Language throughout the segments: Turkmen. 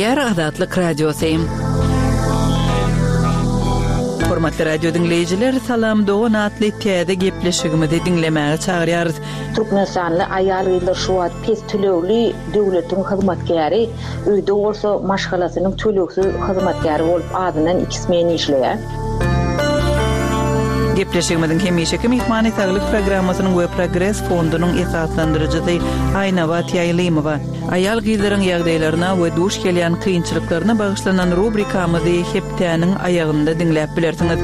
Gepleýär Azatlyk Radiosy. Hormatly radio diňleýjiler, Salam dogan atly täze gepleşigimizi diňlemäge çagyrýarys. Türkmenistanly aýal-gyzlar şu wagt pes tölegli döwletiň hyzmatkäri, öýde bolsa maşgalasynyň tölegsiz hyzmatkäri bolup azyndan iki smen işleýär. Gepleşigimiziň hemişeki myhmany Saglyk programmasynyň we Progres fondunyň esaslandyryjysy Aýnabat Ýaýlymowa. Aýal-gyzlaryň ýagdaýlaryna we duş gelýän kynçylyklaryna bagyşlanan rubrikamyzy hepdäniň aýagynda diňläp bilersiňiz.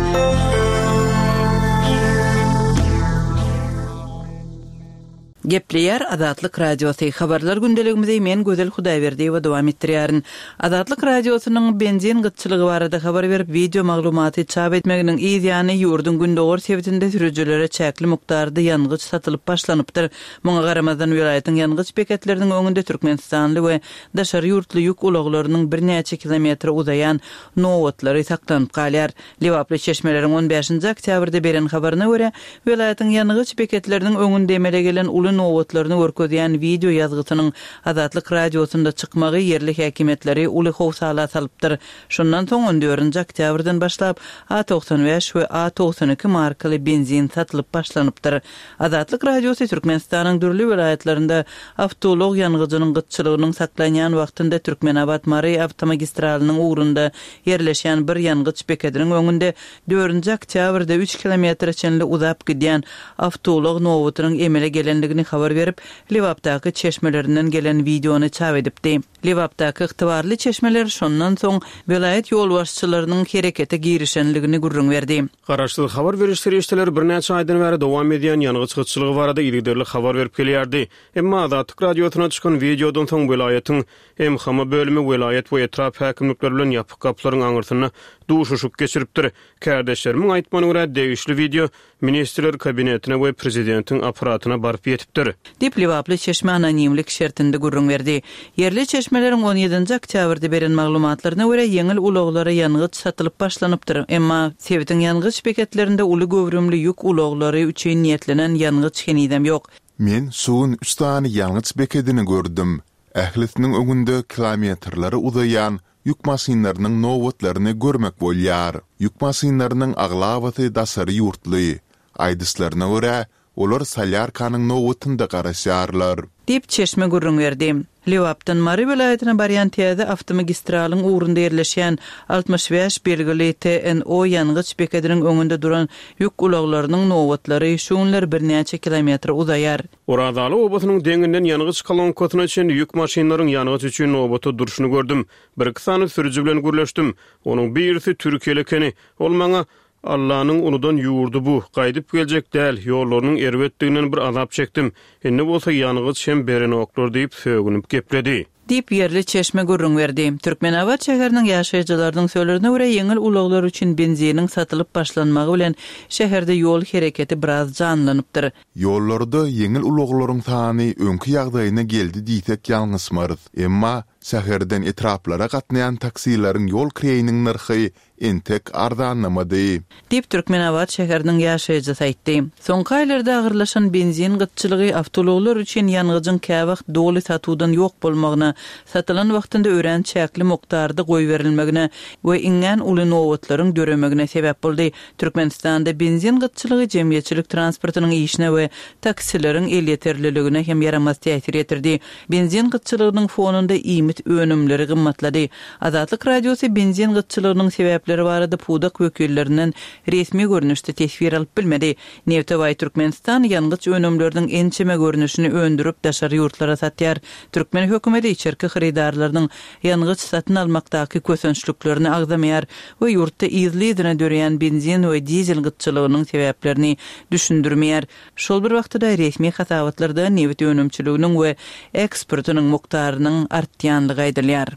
Gepleýär Azatlyk Radiosy, Habarlar gündeligimizi men Gözel Hudaýberdiýewa dowam etdirýärin. Azatlyk Radiosynyň benzin gytçylygy barada habar berip, wideo maglumaty çap etmeginiň yz ýany ýurduň gündogar sebitinde sürüjilere çäkli mukdarda ýangyç satylyp başlanypdyr. Muňa garamazdan, welaýatyň ýangyç beketleriniň öňünde türkmenistanly we daşary ýurtly ýük ulaglarynyň birnäçe kilometre uzaýan nobatlary saklanyp galýar. Lebaply çeşmeleriň on bäşinji oktýabrda beren habaryna görä, welaýatyň ýangyç beketleriniň öňünde emele gelen uly nobatlaryny görkezýän wideo ýazgysynyň Azatlyk Radiosynda çykmagy ýerli häkimiýetleri uly howsala salypdyr. Şondan soň on dördünji oktýabrdan başlap A 95 we A 92 markaly benzin satylyp başlanypdyr. Azatlyk Radiosy Türkmenistanyň dürli welaýatlarynda awtoulag ýangyjynyň gytçylygynyň saklanýan wagtynda Türkmenabat-Mary awtomagistralynyň ugrunda ýerleşýän bir ýangyç bekediniň öňünde dördünji oktýabrda üç kilometre çenli uzap gidýän awtoulag nobatynyň emele gelendigini habar berip, Lebapdaky çeşmelerinden gelen wideony çap edipdi. Lebapdaky ygtybarly çeşmeler şondan soň welaýat ýolbaşçylarynyň herekete girişenligini gürrüň berdi. Garaşsyz habar beriş serişdeleri birnäçe aýdan bäri dowam edýän ýangyç gytçylygy barada yzygiderli habar berip gelýärdi. Emma Azatlyk Radiosyna çykan wideodan soň welaýatyň MHM bölümi welaýat we etrap häkimlikleri bilen ýapyk gapylaryň aňyrsynda duşuşyk geçiripdir. Kärdeşlerimiň aýtmagyna görä, degişli wideo Ministrler Kabinetine we prezidentiň apparatyna baryp ýetipdir. Diýip, lebaply çeşme anonimlik şertinde gürrüň berdi. Ýerli çeşmeleriň on ýedinji oktýabrda beren maglumatlaryna görä, ýeňil ulaglara ýangyç satylyp başlanypdyr. Emma, sebitiň ýangyç beketlerinde uly göwrümli ýük ulaglary üçin niýetlenen ýangyç henizem ýok. Men şu gün üç sany ýangyç bekedini gördüm. Ählisiniň öňünde kilometrlere uzaýan ýük maşynlarynyň nobatlaryny görmek bolýar. Ýük maşynlarynyň aglabasy daşary ýurtly. Aýdyşlaryna görä, olar solýarkanyň nobatynda garaşýarlar. Diýip, çeşme gürrüň berdi. Lebapdan Mary welaýatyna barýan täze awtomagistralyň ugrunda ýerleşýän 65 belgili TNO ýangyç bekediniň öňünde duran ýük ulaglarynyň nobatlary şu günler birnäçe kilometre uzaýar. Orazaly obasynyň deňinden ýangyç kolonkasyna çenli ýük maşynlaryň ýangyç üçin nobata durşuny gördüm. Birki sany sürüji bilen gürleşdim. Onuň birisi türkiýeli ekeni. Ol maňa, Allanyň unudan ýurdy bu, gaýdyp geljek däl, ýollarynyň erbetdiginden bir azap çekdim. Indi bolsa ýangyç hem berenoklar diýip sögünip gepledi. Diýip, ýerli çeşme gürrüň berdi. Türkmenabat şäheriniň ýaşaýjylarynyň sözlerine görä, ýeňil ulaglar üçin benziniň satylyp başlanmagy bilen şäherde ýol hereketi biraz janlanypdyr. Ýollarda ýeňil ulaglaryň sany öňki ýagdaýyna geldi diýsek ýalňyşmarys. Emma şäherden etraplara gatnaýan taksileriň ýol kireýiniň nyrhy entek arzanlamady. Diýip, Türkmenabat şäheriniň ýaşaýjysy aýtdy. Soňky aýlarda agyrlaşan benzin gytçylygy awtoulaglar üçin ýangyjyň käwagt doly satuwdan ýok bolmagyna, satylan wagtynda örän çäkli mukdarda goýberilmegine we iňňän uly nobatlaryň döremegine sebäp boldy. Türkmenistanda benzin gytçylygy jemgyýetçilik transportynyň işine we taksileriň elýeterliligine hem ýaramaz täsir ýetirdi. Benzin gytçylygynyň fonunda iýmit önümleri gymmatlady. Azatlyk Radiosy benzin gytçylygynyň sebäpleri barada pudak wekillerinden resmi görnüşde teswir alyp bilmedi. Nebte baý Türkmenistan ýangyç önümleriniň ençeme görnüşini öndürip daşary ýurtlara satýar. Türkmen hökümeti içerki hyrydarlarynyň ýangyç satyn almakdaky kösençliklerini agzamaýar we ýurtda yzly-yzyna döreýän benzin we dizel gytçylygynyň sebäplerini düşündirmeýär. Şol bir wagtda-da resmi hasabatlarda nebit önümçiliginiň we eksportynyň mukdarynyň artýandygy aýdylýar.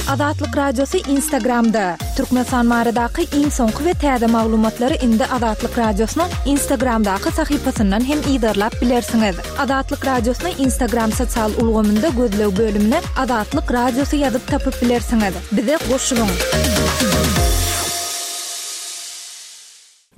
Azatlyk Radiosy Instagramda, Türkmenistan baradaky iň soňky we täze maglumatlary indi Azatlyk Radiosynyň Instagramdaky sahypasyndan hem yzarlap bilersiňiz. Azatlyk Radiosyny Instagram sosial ulgamynda gözleg bölümine Azatlyk Radiosy ýazyp tapyp bilersiňiz. Bize goşulyň!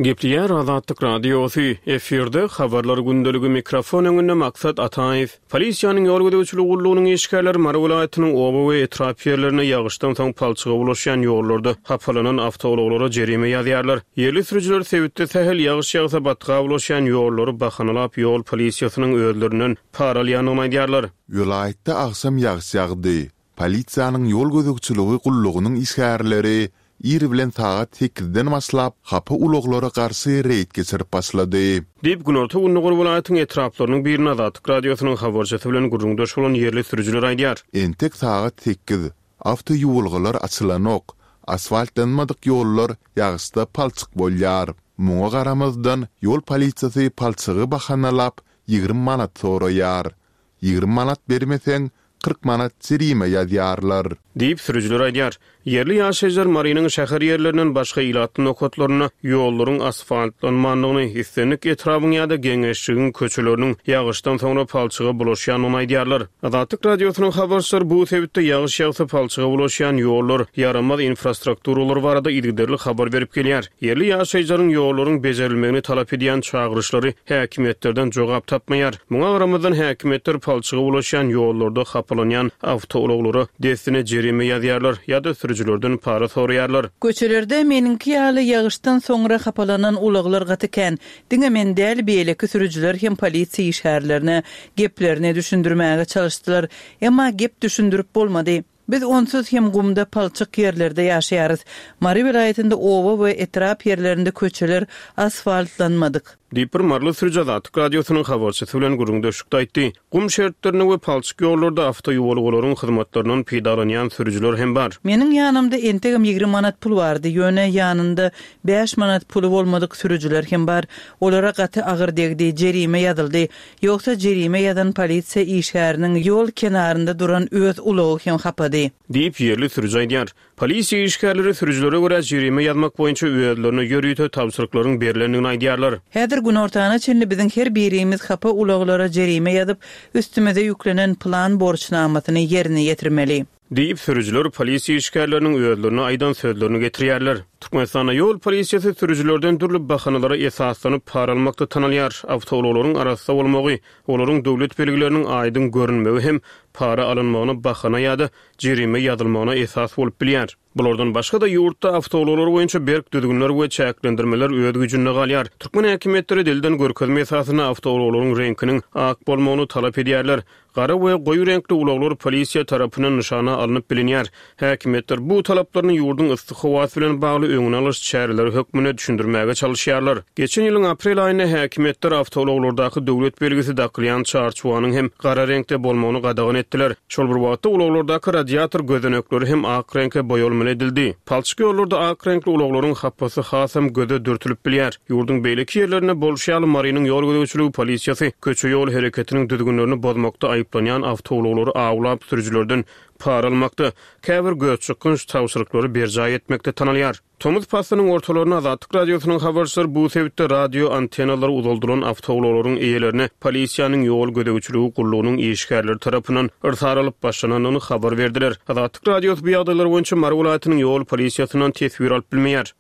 Gepleýär Azatlyk Radiosy, efirde Habarlar gündeligi mikrofon öňünde Maksat Ataýew. Polisiýanyň ýol gözegçiligi gullugynyň işgärleri Mary welaýatynyň oba we etrap ýerlerinde ýagyşdan soň palçyga bulaşýan ýollarda hapalanan awtoulaglara jerime ýazýarlar. Ýerli sürüjiler sebitde sähel ýagyş ýagsa batga bulaşýan ýollary bahanalap ýol polisiýasynyň özlerinden para alýandygyny aýdýarlar. Welaýatda agşam ýagyş ýagdy. Polisiýanyň ýol gözegçiligi gullugynyň işgärleri ir bilen sagat sekizden başlap, hapa ulaglara garşy reýd geçirip başlady. Diýip, günorta-gündogar welaýatyň etraplarynyň birinde Azatlyk Radiosynyň habarçysy bilen gürrüňdeş bolan ýerli sürüjiler aýdýar. Entek sagat sekiz. Awtoýuwalgalar açylanok. Asfaltlanmadyk ýollar ýagyşda palçyk bolýar. Muňa garamazdan, ýol polisiýasy palçygy bahanalap, 20 manat soraýar. 20 manat bermeseň, 40 manat jerime ýazýarlar. Diýip, sürüjiler aýdýar. Ýerli ýaşaýjylar Marynyň şäher ýerlerinden başga ilatly nokatlarynda ýollaryň asfaltlanmandygyny, islendik etrabyň ýa-da geňeşligiň köçeleriniň ýagyşdan soňra palçyga bulaşýandygyny aýdýarlar. Azatlyk Radiosynyň habarçylary bu sebitde ýagyş ýagsa palçyga bulaşýan ýollar, ýaramaz infrastrukturalar barada yzygiderli habar berip gelýär. Ýerli ýaşaýjylaryň ýollaryň bejerilmegini talap edýän çagyryşlary häkimiýetlerden jogap tapmaýar. Muňa garamazdan, häkimiýetler palçyga ulaşýan ýollarda hapalanýan awtoulaglara dessine jerime ýazýarlar ýa-da sürüjilerden para soraýarlar. Köçelerde meniňki ýaly ýagyşdan soňra hapalanan ulaglar gaty kän. Diňe men däl, beýleki sürüjiler hem polisiýa işgärlerine geplerini düşündirmäge çalyşdylar. Emma gep düşündirip bolmady. Biz onsuz hem gumda palçyk ýerlerde ýaşaýarys. Mary welaýatynda oba we etrap ýerlerinde köçeler asfaltlanmadyk. Diýip, bir maryly sürüji Azatlyk Radiosynyň habarçysy bilen gürrüňdeşlikde aýtdy. Gum şertlerinde we palçyk ýollarda awtoýuwalgalaryň hyzmatlaryndan peýdalanýan sürüjiler hem bar. Meniň ýanymda entegem 20 manat pul bardy, ýöne ýanynda bäş manat puly bolmadyk sürüjiler hem bar. Olara gaty agyr degdi, jerime ýazyldy. Ýogsa jerime ýazan polisiýa işgäriniň ýol kenarynda duran öz ulagy hem hapady. Diýip, ýerli sürüji aýdýar. Polisiýa işgärleri sürüjilere görä jerime ýazmak boýunça özlerine ýörite tabşyryklaryň berlendigini aýdýarlar. Häzir günortana çenli biziň her birimiz hapa ulaglara jerime ýazyp, üstümize ýüklenen plan borçnamasyny ýerine ýetirmeli. Diýip, sürüjiler polisiýa işgärleriniň özlerine aýdan sözlerini getirýärler. Türkmenistanda ýol polisiýasy sürüjilerden dürli bahanalara esaslanyp para almakda tanalýar. Awtoulaglaryň arassa bolmagy, olaryň döwlet belgileriniň aýdyň görünmegi hem para alynmagyna bahana ýa-da jerime ýazylmagyna esas bolup bilýär. Bulardan başga-da, ýurtda awtoulaglar boýunça berk düzgünler we çäklendirmeler öz güýjünde galýar. Türkmen häkimiýetleri dilden görkezme esasynda awtoulaglaryň reňkiniň ak bolmagyny talap edýärler. Gara we goýy reňkli ulaglar polisiýa tarapyndan nyşana alnyp bilinýär. Häkimiýetler bu talaplaryny ýurduň yssy howasy bilen bagly öňüni alyş çäreleri hökmünde düşündirmäge çalyşýarlar. Geçen ýylyň aprel aýynda häkimiýetler awtoulaglardaky döwlet belgisi dakylýan çarçuwanyň hem gara reňkde bolmagyny gadagan etdiler. Şol bir wagtda ulaglardaky radiator gözenekleri hem ak reňke boýalmaly edildi. Palçyk ýollarda ak reňkli ulaglaryň hapasy hasam göze dürtülip bilýär. Ýurduň beýleki ýerlerinde bolşy ýaly, Marynyň ýol gözegçiligi polisiýasy köçe-ýol hereketiniň düzgünlerini bozmakda aýyplanýan awtoulaglary awlap, sürüjilerden para almakda, käbir gözçykgynç tabşyryklary berjaý etmekde tanalýar. Tomus paslynyň ortalarynda Azatlyk Radiosynyň habarçylary bu sebitde radio antennalary uzaldylan awtoulaglaryň eýelerine polisiýanyň ýol gözegçiligi gullugynyň işgärleri tarapyndan yrsar alyp başlanandygyny habar berdiler. Azatlyk Radiosy bu ýagdaýlar boýunça Mary welaýatynyň ýol polisiýasyndan teswir alyp bilmeýär.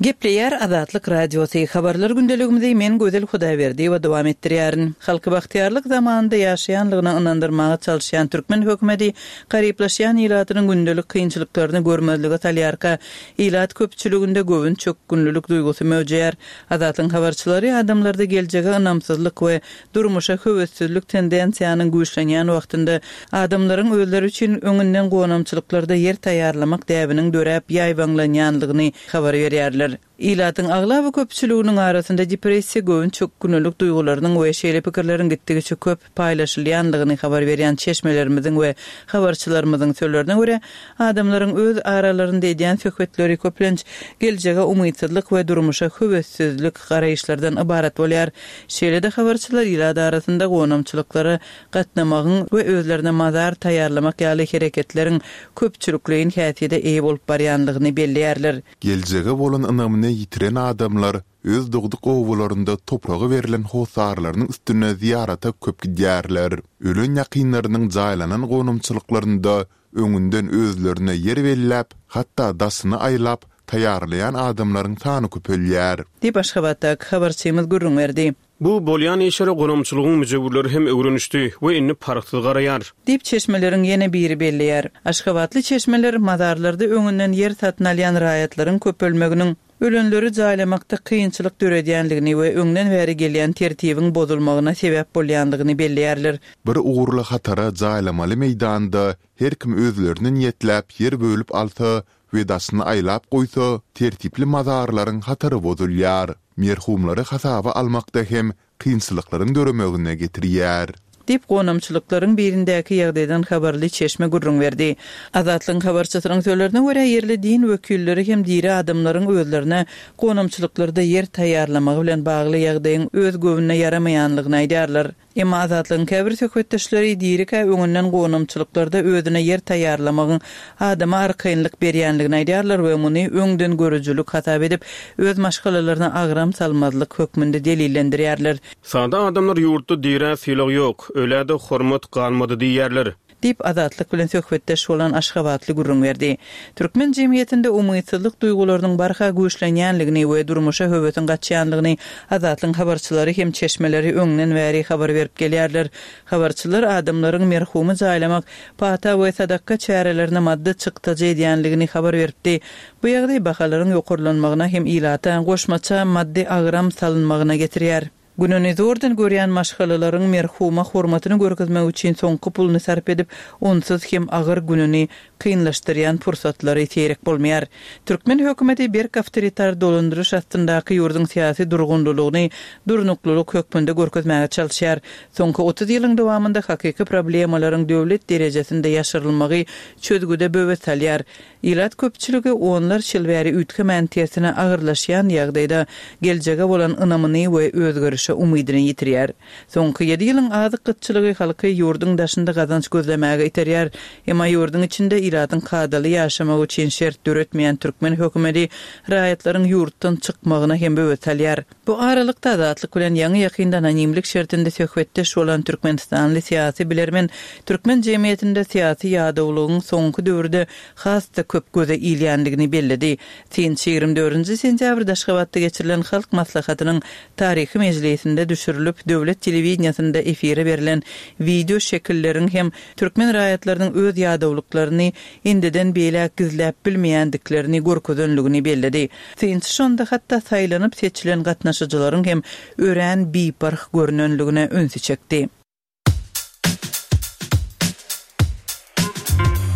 Gepleýär Azatlyk Radiosy, Habarlar gündeligimizi men Gözel Hudaýberdiýewa dowam etdirýärin. Halky bagtyýarlyk zamanynda ýaşaýanlygyna ynandyrmaga çalyşýan türkmen hökümeti garyplaşýan ilatynyň gündelik kynçylyklaryny görmezlige salýarka, ilat köpçüliginde göwün çökgünlilik duýgusy möwjeýär. Azatlygyň habarçylary adamlarda geljege ynamsyzlyk we Durmuşa höwessizlik tendensiýanyň güýçlenýän wagtynda adamlaryň özleri üçin öňünden gonamçylyklarda ýer taýýarlamak däbiniň döräp ýaýbaňlanýanlygyny habar berýärler. Ilatyň aglaba köpçüliginiň arasynda depressiýa, göwün çökgünlilik duýgularynyň we şeýle pikirleriň gitdigiçe köp paýlaşylýanlygyny habar berýän çeşmelerimiziň we habarçylarymyzyň sözlerine görä, adamlaryň öz aralarynda edýän söhbetleri köplenç geljege umytsyzlyk we durmuşa höwessizlik garaýyşlardan ybarat bolýar. Şeýle-de habarçylar ilat arasynda gonamçylyklara gatnamagyň we özlerine mazar taýýarlamak ýaly hereketleriň köpçülikleýin häsiýete eýe bolup barýanlygyny belleýärler. Geljege bolan ynamyny ýitiren adamlar öz dogduk obalarynda topraga berlen hossarlarynyň üstüne zyýarata köp gidýärler. Ölen ýakynlarynyň jaýlanan gonamçylyklarynda. öňünden özlerine ýer belläp, hatda daşyny aýlap, taýýarlaýan adamlaryň sany köpelýär. Diýip, Aşgabatdaky habarçymyz gürrüň berdi. Bu bolýan işlere gonamçylygyň müjewürleri hem öwrenişdi we indi parhsyz garaýar. Diýip, çeşmeleriň ýene biri belleýär. Aşgabatly çeşmeler mazarlarda öňünden ýer satyn alýan raýatlaryň köpelmeginiň ölenleri jaýlamakda kynçylyk döredýändigini we öňden bäri gelýän tertibiň bozulmagyna sebäp bolýandygyny belleýärler. Bir ugurly hatara jaýlamaly meýdanda her kim özlerine niýetläp ýer bölüp alsa we daşyny aýlap goýsa, tertipli mazarlaryň hatary bozulýar. Merhumlary hasaba almakda hem kynçylyklaryň döremegine getirýär. Diýip, gonamçylyklaryň birindäki ýagdaýdan habarly çeşme gürrüň berdi. Azatlygyň habarçysynyň sözlerine görä, ýerli din wekilleri hem diri adamlaryň özlerine gonamçylyklarda ýer taýýarlamagy bilen bagly ýagdaýyň öz göwnüne ýaramaýanlygyny aýdýarlar. Emma Azatlygyň käbir söhbetdeşleri dirikä öňünden gonamçylyklarda özüne ýer taýýarlamagyň adama arkaýynlyk berýänligini aýdýarlar we muny öňdengörüjilik hasap edip, öz maşgalalaryna agram salmazlyk hökmünde delillendirýärler. Sada adamlar ýurtda dirä sylag ýok, ölä-de hormat galmady diýýärler. Diýip, Azatlyk bilen söhbetdeş bolan aşgabatly gürrüň berdi. Türkmen jemgyýetinde umytsyzlyk duýgularynyň barha güýçlenýänligini we durmuşa höwesiň gaçýanlygyny Azatlygyň habarçylary hem çeşmeleri öňden bäri habar berip gelýärler. Habarçylar adamlaryň merhumy jaýlamak, pata we sadakga çärelerine maddy çykdajy edýänligini habar beripdi. Bu ýagdaý bahalaryň ýokarlanmagyna hem ilata goşmaça maddy agram salynmagyna getirýär. Gününi zordan görýän maşgalalaryň merhuma hormatyny görkezmek üçin soňky puluny sarp edip, onsuz hem agyr gününi kynlaşdyrýan pursatlary seýrek bolmaýar. Türkmen hökümeti berk awtoritar dolandyryş astyndaky ýurduň syýasy durgunlylygyny durnuklylyk hökmünde görkezmäge çalyşýar. Soňky 30 ýylyň dowamynda hakyky problemalaryň döwlet derejesinde ýaşyrylmagy çözgüde böwet salýar. Ilat köpçüligi onlarça ýyl bäri üýtgemän tersine agyrlaşýan ýagdaýda geljege bolan ynamyny we özgerişe umydyny ýitirýär. Soňky ýedi ýylyň azyk gytçylygy halky ýurduň daşynda gazanç gözlemäge iterýär. Emma ýurduň içinde ilatyň kadaly ýaşamagy üçin şert döretmeýän türkmen hökümeti raýatlaryň ýurtdan çykmagyna hem böwet salýar. Bu aralykda Azatlyk bilen ýaňy-ýakynda anonimlik şertinde söhbetdeş bolan türkmenistanly syýasy bilermen türkmen jemgyýetinde syýasy ýadawlygyň soňky döwürde has-da köp göze ilýändigini belledi. Synçy 24-nji sentýabrda Aşgabatda geçirilen Halk Maslahatynyň taryhy mejlisinde düşürilip, döwlet telewideniýesinde efire berlen wideo şekilleriň hem türkmen raýatlarynyň öz ýadawlyklaryny indiden beýläk gizläp bilmeýändiklerini görkezenligini belledi. Synçy şonda hatda saýlanyp-seçilen gatnaşyjylaryň hem örän biparh görnenligine ünsi çekdi.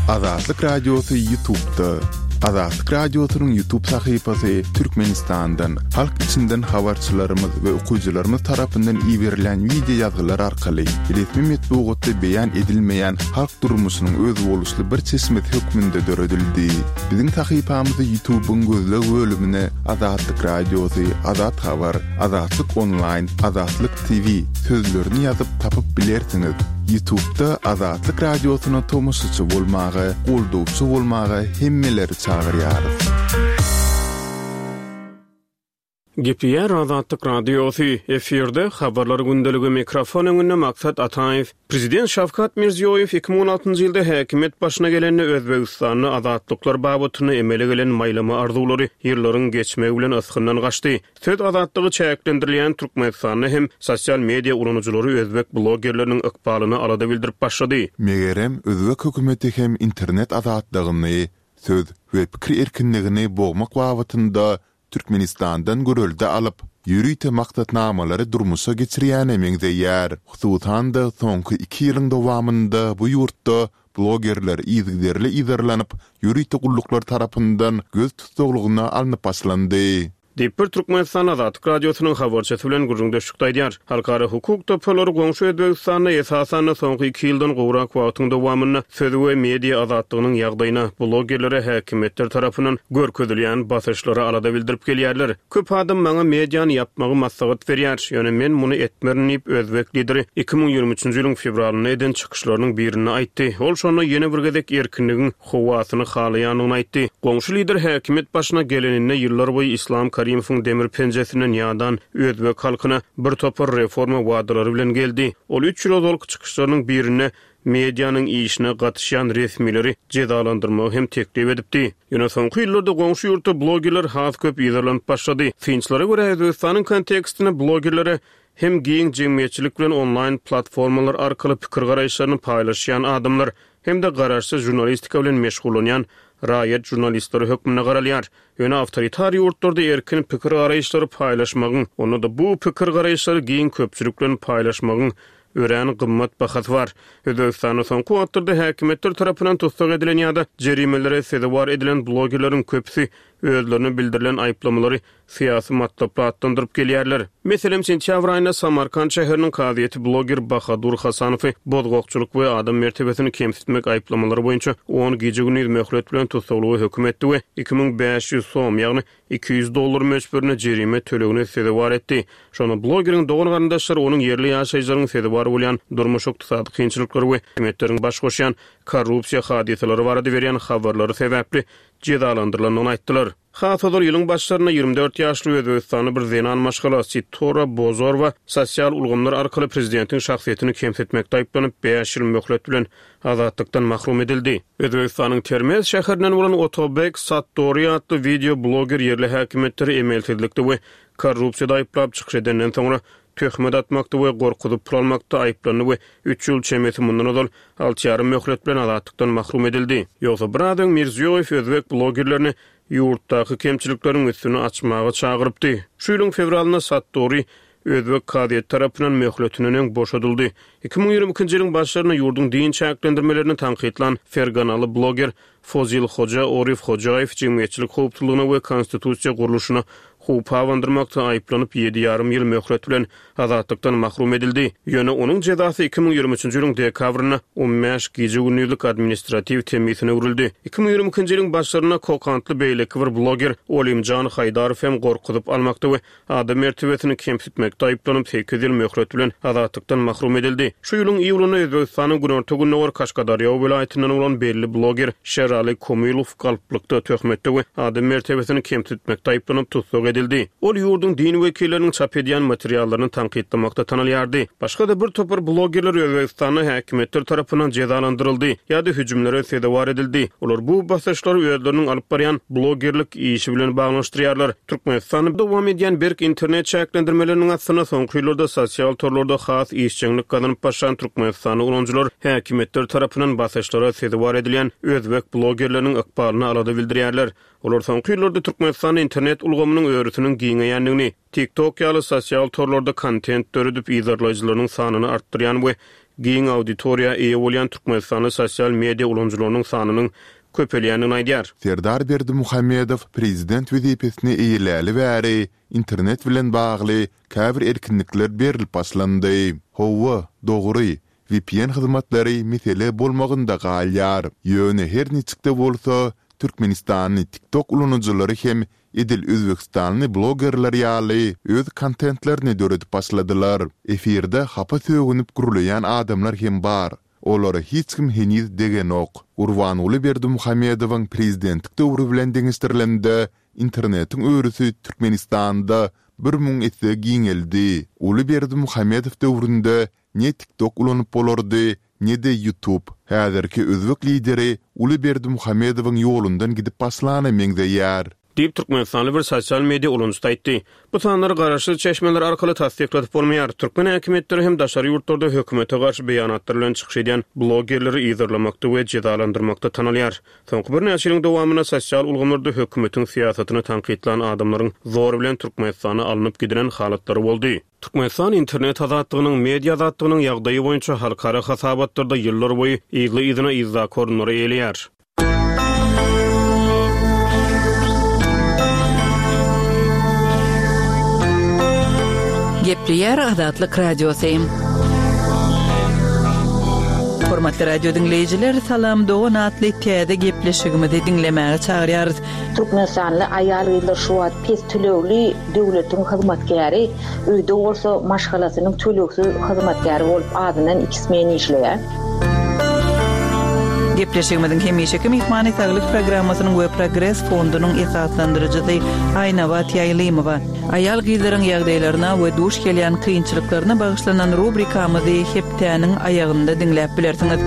Azatlyk Radiosy Ýutubda. Azatlyk Radiosynyň Ýutub sahypasy Türkmenistandan, halk içinden habarçylarymyz we okyjylarymyz tarapyndan iberilen wideo ýazgylar arkaly resmi metbugatda beýan edilmeýän halk durmuşynyň özboluşly bir çeşmesi hökmünde döredildi. Biziň sahypamyzy Ýutubyň gözleg bölümine Azatlyk Radiosy, Azat Habar, Azatlyk Onlaýn, Azatlyk TV sözlerini ýazyp tapyp bilersiňiz. Ýutubda Azatlyk Radiosyna tomaşaçy bolmaga, goldawçy bolmaga hemmeleri çagyrýarys. Gepleýär Azatlyk Radiosy, efirde Habarlar gündeligi, mikrofon öňünde Maksat Ataýew. Prezident Şawkat Mirziýoýew 2016-njy ýylda häkimiýet başyna gelende Özbegistanda azatlyklar babatynda emele gelen maýlama arzuwlary ýyllaryň geçmegi bilen ysgyndan gaçdy. Söz azatlygy çäklendirilýän Türkmenistanda hem sosial media ulanyjylary özbek blogerleriniň ykbalyna alada bildirip başlady. Megerem, özbek hökümeti hem internet azatlygyny, söz we pikir erkinligini bogmak babatynda Türkmenistandan görelde alyp, ýörite maksatnamalary durmuşa geçirýäne meňzeýär. Hususan-da, soňky iki ýylyň dowamynda bu ýurtda blogerler yzygiderli yzarlanyp, ýörite gulluklar tarapyndan göz tussaglygyna alnyp başlandy. Diýip, bir türkmenistanly Azatlyk Radiosynyň habarçysy bilen gürrüňdeşlikde aýdýar. Halkara hukuk toparlary goňşy Özbegistanda, esasan-da, soňky iki ýyldan gowrak wagtyň dowamynda söz we media azatlygynyň ýagdaýyna, blogerlere häkimiýetler tarapyndan görkezilýän basyşlara alada bildirip gelýärler. Köp adam maňa mediany ýapmagy maslahat berýär, ýöne men muny etmerin diýip, özbek lideri 2023-nji ýylyň fewralynda eden çykyşlarynyň birinde aýtdy. Ol şonda ýene bir gezek erkinligiň howasyny halaýandygyny aýtdy. Goňşy lider häkimiýet başyna geleninde ýyllarboýy Islam Karimowyň demir penjesinden ýadan özbek halkyna bir topar reforma wadalary bilen geldi. Ol üç ýyl ozalky çykyşlarynyň birinde. medianyň işine gatyşýan resmileri jezalandyrmagy hem teklip edipdi. Ýöne soňky ýyllarda goňşy ýurtda blogerler has köp yzarlanyp başlady. Synçylara görä, Özbegistanyň kontekstinde blogerlere hem giň jemgyýetçilik bilen onlaýn platformalar arkaly pikir-garaýyşlaryny paýlaşýan adamlar, hem-de garaşsyz žurnalistika bilen meşgullanýan raýat žurnalistleri hökmünde garalýar. Ýöne awtoritar ýurtlarda erkin pikir-garaýyşlary paýlaşmagyň, onda-da bu pikir-garaýyşlary giň köpçülik bilen paýlaşmagyň örän gymmat bahasy bar. Özbegistanda soňky wagtlarda häkimiýetler tarapyndan tussag edilen ýa-da jerimelere sezewar edilen blogerleriň köpüsi özlerine bildirilen aýyplamalary syýasy matlaply atlandyryp gelýärler. Meselem, sentýabr aýynda Samarkant şäheriniň kazyýeti bloger Bahadur Hasanowy bozgakçylyk we adam mertebesini kemsitmek aýyplamalary boýunça on gije-gündiz möhlet bilen tussaglyga höküm etdi we 2500 som, ýagny 200 dollar möçberinde jerime tölegine sezewar etdi. Şonda blogeriň dogan-garyndaşlary onuň ýerli ýaşaýjylaryň sezewar bolýan durmuş-ykdysady kynçylyklary we hökümetleriň baş goşýan korrupsiýa hadysalary barada berýän habarlary sebäpli jezalandyrylandygyny aýtdylar. Has ozal ýylyň başlarynda 24 ýaşly özbegistanly bir zenan maşgala Sitora Bozorwa sosial ulgamlar arkaly prezidentiň şahsyýetini kemsitmekde aýyplanyp, bäş ýyl möhlet bilen azatlykdan mahrum edildi. Özbegistanyň Termez şäherinden bolan Otobek Sattori atly wideo bloger ýerli häkimiýetleri emelsizlikde we korrupsiýada aýyplap çykyş edenden soňra töhmet atmakda we gorkuzyp pul almakda aýyplandy we üç ýyl çemesi mundan ozal alty ýarym möhlet bilen azatlykdan mahrum edildi. Ýogsa biraz öň Mirziýoýew özbek blogerlerini ýurtdaky kemçilikleriň üstüni açmaga çagyrypdy. Şu ýylyň fewralynda Sattori özbek kazyýeti tarapyndan möhletinden öň boşadyldy. 2022-nji ýylyň başlarynda ýurduň din çäklendirmelerini tankytlan ferganaly bloger Fozilhoja Orifhojaýew jemgyýetçilik howpsuzlygyna we konstitusiýa gurluşyna howp abandyrmakda aýyplanyp, ýedi ýarym ýyl möhlet bilen azatlykdan mahrum edildi. Ýöne onuň jezasy 2023-nji ýylyň dekabrynda on bäş gije-gündizlik administratiw temmisine öwrüldi. 2022-nji ýylyň başlarynda kokantly beýleki bir bloger Olimjan Haýdarow hem gorkuzyp almakda we Adam mertebesini kemsitmekde aýyplanyp, sekiz ýyl möhlet bilen azatlykdan mahrum edildi. Şu ýylyň iýulynda Özbegistanyň günorta-gündogar Kaşgadarýa welaýatyndan bolan belli bloger Şerali Komilow galplykda, töhmetde we adam mertebesini kemsitmekde aýyplanyp tussag edildi. Ol ýurduň din wekilleriniň çap edýän materiallaryny tankytlamakda tanalýardy. Başga-da bir topar blogerler Özbegistanda häkimiýetler tarapyndan jezalandyryldy ýa-da hüjümlere sezewar edildi. Olar bu basyşlary özleriniň alyp barýan blogerlik işi bilen baglanyşdyrýarlar. Türkmenistanda dowam edýän berk internet çäklendirmeleriniň astynda soňky ýyllarda sosial torlarda has işjeňlik gazanyp başlan türkmenistanly ulanyjylar häkimiýetler tarapyndan basyşlara sezewar edilýän özbek blogerleriniň ykbalyna alada bildirýärler. Olar soňky ýyllarda Türkmenistanda internet ulgamynyň örüsiniň giňeýändigini, TikTok ýaly sosial torlarda kontent döredip yzarlaýjylarynyň sanyny artdyrýan we giň auditoriýa eýe bolýan türkmenistanly sosial media ulanyjylarynyň sanynyň köpelýändigini aýdýar. Serdar Berdimuhamedow prezident wezipesini eýeläli bäri internet bilen bagly käbir erkinlikler berlip başlandy. Hawa, dogry, vpn hyzmatlary mesele bolmagynda galýar. Ýöne her niçik-de bolsa, türkmenistanly TikTok ulanyjylary hem edil özbegistanly blogerler ýaly öz kontentlerini döredip başladylar. Efirde hapa sögünip gürleýän adamlar hem bar. Olara hiç kim heniz degenok. Gurbanguly Berdimuhamedowyň prezidentlik döwri bilen deňeşdirilende, internetiň örüsi Türkmenistanda 1000 esse giňeldi. Uly Berdimuhamedow döwründe ne TikTok ulanyp bolardy, ne-de YouTube. Häzirki özbek lideri uly Berdimuhamedowyň ýolundan gidip başlana meňzeýär. Diýip, türkmenistanly bir sosial media ulanyjysy aýtdy. Bu sanlary garaşsyz çeşmeler arkaly tassykladyp bolmaýar. Türkmen häkimiýetleri hem daşary ýurtlarda hökümete garşy beýanatlar bilen çykyş edýän blogerleri yzarlamakda we jezalandyrmakda tanalýar. Soňky birnäçe ýylyň dowamynda sosial ulgamlarda hökümetiň syýasatyny tankytlan adamlaryň zor bilen Türkmenistana alnyp gidilen halatlary boldy. Türkmenistan internet azatlygynyň, media azatlygynyň ýagdaýy boýunça halkara hasabatlarda ýyllarboýy yzly-yzyna yzdaky orunlary eýeleýär. Gepleýär Azatlyk Radiosy. Hormatly radio diňleýjiler, Salam dogan atly täze gepleşigimizi diňlemäge çagyrýarys. Türkmenistanly aýal-gyzlar şu wagt pes tölegli döwletiň hyzmatkäri, öýde bolsa maşgalasynyň tölegsiz hyzmatkäri bolup azyndan iki smen işleýär. Gepleşigimiziň hemişeki myhmany Saglyk programmasynyň we Progres fondunyň esaslandyryjysy Aýnabat Ýaýlymowa. Aýal-gyzlaryň ýagdaýlaryna we duş gelýän kynçylyklaryna bagyşlanan rubrikamyzy hepdäniň aýagynda diňläp bilersiňiz.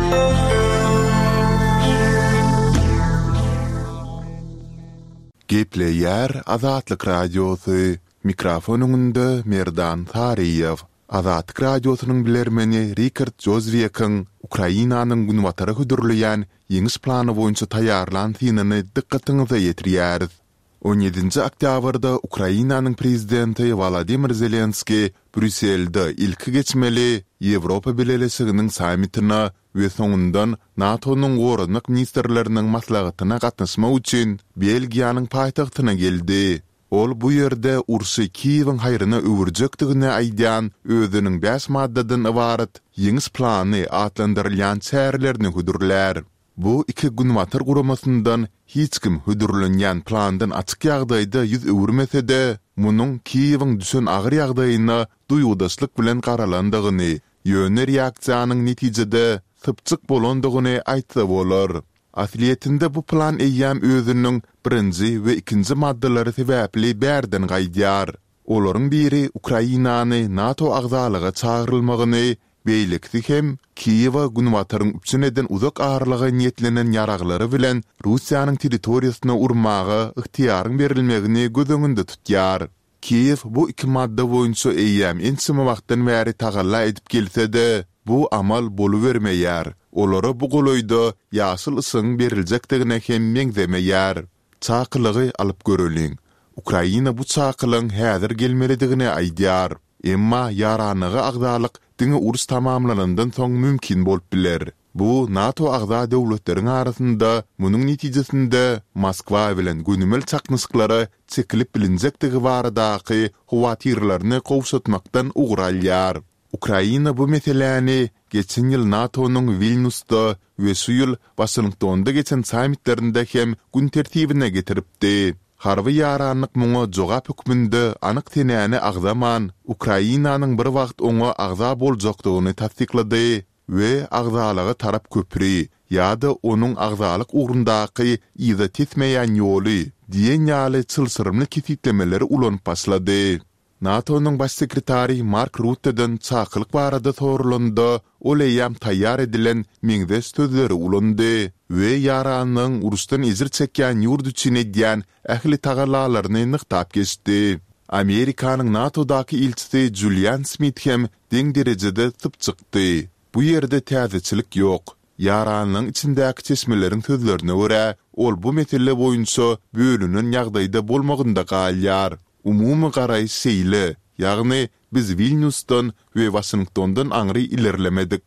Gepleýär Azatlyk Radiosy, Mikrofon öňünde Merdan Saryýew. Azatlyk Radiosynyň bilermeni Rikard Jozwiakyň Ukrainanyň Günbatara hödürleýän ýeňiş plany boýunça taýýarlan synyny dykgatyňyza ýetirýäris. On ýedinji oktýabrda Ukrainanyň prezidenti Wolodymyr Zelenskiý Brýusselde ilki geçmeli Ýewropa Bileleşiginiň sammitine we soňundan NATO-nyň goranmak ministrleriniň maslahatyna gatnaşmak üçin Belgiýanyň paýtagtyna geldi. Ol bu ýerde urşy Kiýewiň haýryna öwürjekdigini aýdýan özüniň bäş maddadan ybarat Ýeňiş plany atlandyrylýan çärelerini hödürlär. Bu iki Günbatar guramasyndan hiç kim hödürlenýän plandan açyk ýagdaýda ýüz öwürmese-de, munuň Kiýewiň düşen agyr ýagdaýyna duýgudaşlyk bilen garalandygyny, ýöne reaksiýanyň netijede sypjyk bolandygyny aýtsa bolar. Aslyýetinde bu plan eýýäm özüniň birinji we ikinji maddalary sebäpli bärden gaýdýar. Olaryň biri Ukrainany NATO agzalyga çagyrylmagyny, beýlekisi hem Kiýewe Günbataryň üpjün eden uzak aralyga niýetlenen ýaraglary bilen Russiýanyň territoriýasyna urmaga ygtyýaryň berilmegini göz öňünde tutýar. Kiýew bu iki madda boýunça eýýäm ençeme wagtdan bäri tagalla edip gelse-de, bu amal bolubermeýär, olara bu golaýda ýaşyl yşygyň beriljekdigine hem meňzemeýär. Çakylygy alyp göreliň. Ukraina bu çakylygyň häzir gelmelidigini aýdýar. Emma ýaranlyga agzalyk diňe uruş tamamlanandan soň mümkin bolup biler. Bu NATO agza döwletleriň arasynda munuň netijesinde Moskwa bilen gönümel çaknyşyklara çekilip bilinjekdigi baradaky howatyrlaryny gowşatmakdan ugur alýar. Ukraina bu meseläni geçen ýyl NATO-nyň Wilnýusda we şu ýyl Waşingtonda geçen sammitlerinde hem gün tertibine getiripdi. Harby ýaranlyk muňa jogap hökmünde anyk senäni agzaman, Ukrainanyň bir wagt oňa agza boljakdygyny tassyklady we agzalyga tarap köpri ýa-da onuň agzalyk ugrundaky yza tesmeýän ýoly diýen ýaly çylşyrymly kesgitlemeleri ulanyp başlady. NATO-nyň Baş sekretary Mark Rutteden çakylyk barada soralanda, ol eýýäm taýýar edilen meňzeş sözleri ulandy we ýaranlygyň uruşdan ejir çekýän ýurt üçin edýän ähli tagallalaryny nygtap geçdi. Amerikanyň NATO-daky ilçisi Julian Smit hem deň derejede sypjykdy. Bu ýerde täzeçilik ýok. Ýaranlygyň içindäki çeşmeleriň sözlerine görä, ol bu mesele boýunça bölünen ýagdaýda bolmagynda galýar. Umumy garaýyş şeýle, ýagny biz Wilnýusdan we Waşingtondan aňry ilerlemedik.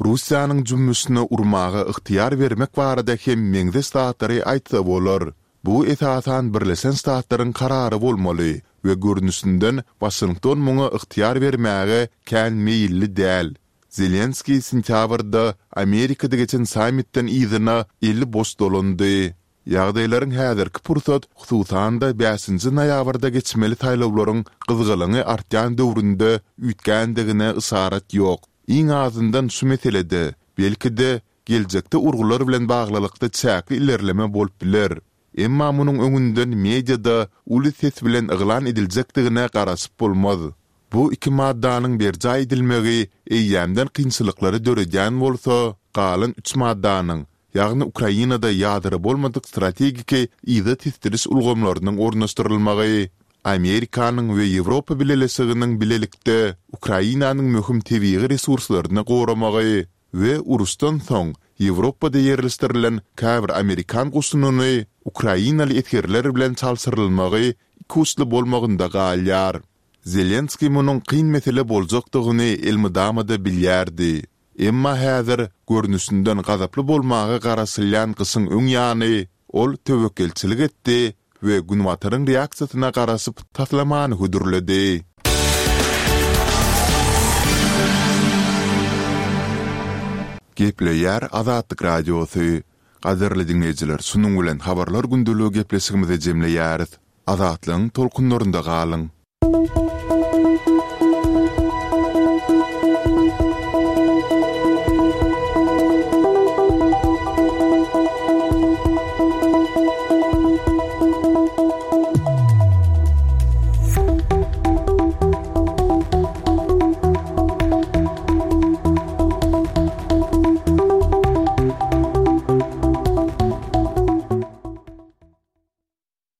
Russiýanyň jümmüşine urmaga ygtyýar bermek barada hem meňzeş zatlary aýtsa bolar. Bu esasan Birleşen Ştatlaryň karary bolmaly we görnüşinden Waşington muňa ygtyýar bermäge kän meýilli däl. Zelenskiý sentýabrda Amerikada geçen sammitden yzyna eli boş dolandy. Ýagdaýlaryň häzirki pursat, hususan-da bäşinji noýabrda geçmeli saýlawlaryň gyzgalaňy artýan döwründe üýtgändigine yşarat ýok. Iň azyndan şu meselede, belki-de, geljekde urgular bilen baglylykda çäkli ilerleme bolup biler. Emma munuň öňünden mediada uly ses bilen yglan ediljekdigine garaşyp bolmaz. Bu iki maddanyň berjaý edilmegi eýýämden kynçylyklary döredýän bolsa, galan üç maddanyň, ýagny Ukrainada ýadro bolmadyk strategik yza tesdiriş ulgamlarynyň ornaşdyrylmagy, Amerikanyň we Ýewropa Bileleşiginiň bilelikde Ukrainanyň möhüm tebigy resurslaryny goramagy we uruşdan soň Ýewropada ýerleşdirilen käbir amerikan goşunyny ukrainaly esgerler bilen çalşyrylmagy ikuçly bolmagynda galýar. Zelenskiý munuň kyn mesele boljakdygyny elmydama-da bilýärdi. Emma häzir, görnüşinden gazaply bolmaga garaşylýan gyşyň öň ýany, ol töwekgelçilik etdi we Günbataryň reaksiýasyna garaşyp taslamany hödürledi. Gepleýär Azatlyk Radiosy. Gadyrly diňleýjiler, şunuň bilen Habarlar gündeligi gepleşigimizi jemleýäris. Azatlygyň tolkunlarynda galyň!